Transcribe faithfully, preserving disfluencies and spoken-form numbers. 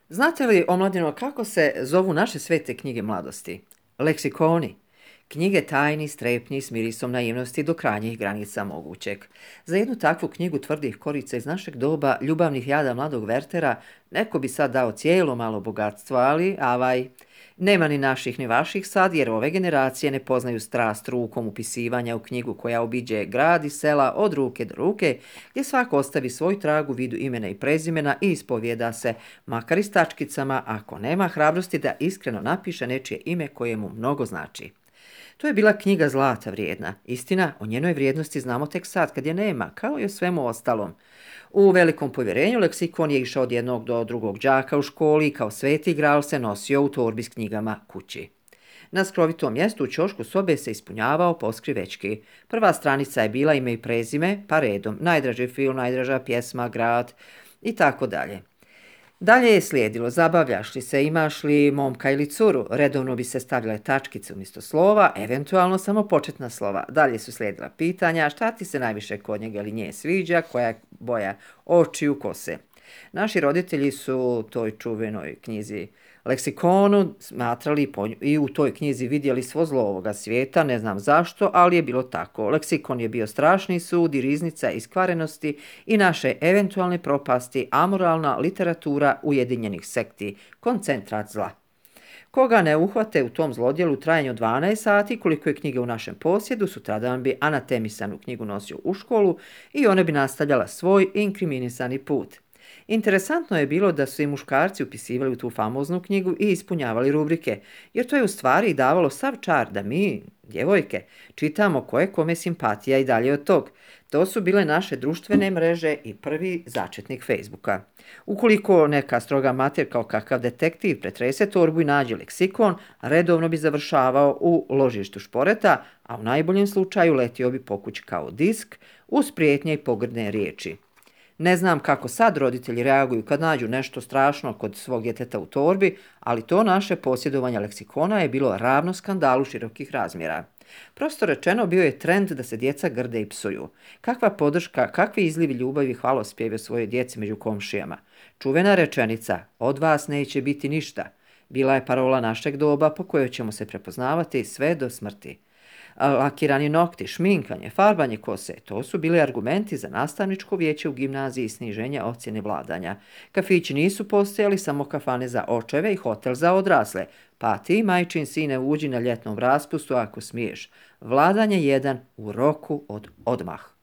Znate li, omladino, kako se zovu naše svete knjige mladosti? Leksikoni. Knjige tajni, strepnji, s mirisom naivnosti do krajnjih granica mogućeg. Za jednu takvu knjigu tvrdih korica iz našeg doba, ljubavnih jada mladog Wertera, neko bi sad dao cijelo malo bogatstvo, ali, avaj, nema ni naših ni vaših sad, jer ove generacije ne poznaju strast rukom upisivanja u knjigu koja obiđe grad i sela od ruke do ruke, gdje svako ostavi svoj trag u vidu imena i prezimena i ispovjeda se, makar i s tačkicama, ako nema hrabrosti da iskreno napiše nečije ime koje mu mnogo znači. To je bila knjiga zlata vrijedna. Istina, o njenoj vrijednosti znamo tek sad kad je nema, kao i o svemu ostalom. U velikom povjerenju leksikon je išao od jednog do drugog đaka u školi i kao sveti gral se nosio u torbi s knjigama kući. Na skrovitom mjestu u ćošku sobe se ispunjavao poskrivečki. Prva stranica je bila ime i prezime, pa redom, najdraži film, najdraža pjesma, grad i tako dalje. Dalje je slijedilo, zabavljaš li se, imaš li momka ili curu, redovno bi se stavljale tačkice umjesto slova, eventualno samo početna slova. Dalje su slijedila pitanja, šta ti se najviše kod njega ili nje sviđa, koja je boja očiju, kose. Naši roditelji su toj čuvenoj knjizi Leksikonu smatrali i u toj knjizi vidjeli svo zlo ovoga svijeta, ne znam zašto, ali je bilo tako. Leksikon je bio strašni sud i riznica iskvarenosti i naše eventualne propasti, amoralna literatura ujedinjenih sekti, koncentrat zla. Koga ne uhvate u tom zlodjelu u trajanju dvanaest sati, koliko je knjige u našem posjedu, sutradan bi anatemisanu knjigu nosio u školu i ona bi nastavljala svoj inkriminisani put. Interesantno je bilo da su i muškarci upisivali u tu famoznu knjigu i ispunjavali rubrike, jer to je u stvari davalo sav čar da mi, djevojke, čitamo ko je kome simpatija i dalje od tog. To su bile naše društvene mreže i prvi začetnik Facebooka. Ukoliko neka stroga mater kao kakav detektiv pretrese torbu i nađe leksikon, redovno bi završavao u ložištu šporeta, a u najboljem slučaju letio bi po kući kao disk uz prijetnje i pogrdne riječi. Ne znam kako sad roditelji reaguju kad nađu nešto strašno kod svog djeteta u torbi, ali to naše posjedovanje leksikona je bilo ravno skandalu širokih razmjera. Prosto rečeno, bio je trend da se djeca grde i psuju. Kakva podrška, kakvi izlivi ljubavi i hvalospjevi o svojoj djeci među komšijama. Čuvena rečenica, od vas neće biti ništa, bila je parola našeg doba po kojoj ćemo se prepoznavati sve do smrti. Lakirani nokti, šminkanje, farbanje kose, to su bili argumenti za nastavničko vijeće u gimnaziji i sniženje ocjene vladanja. Kafići nisu postojali, samo kafane za očeve i hotel za odrasle. Pa ti, majčin sine, uđi na ljetnom raspustu ako smiješ. Vladanje jedan u roku od odmah.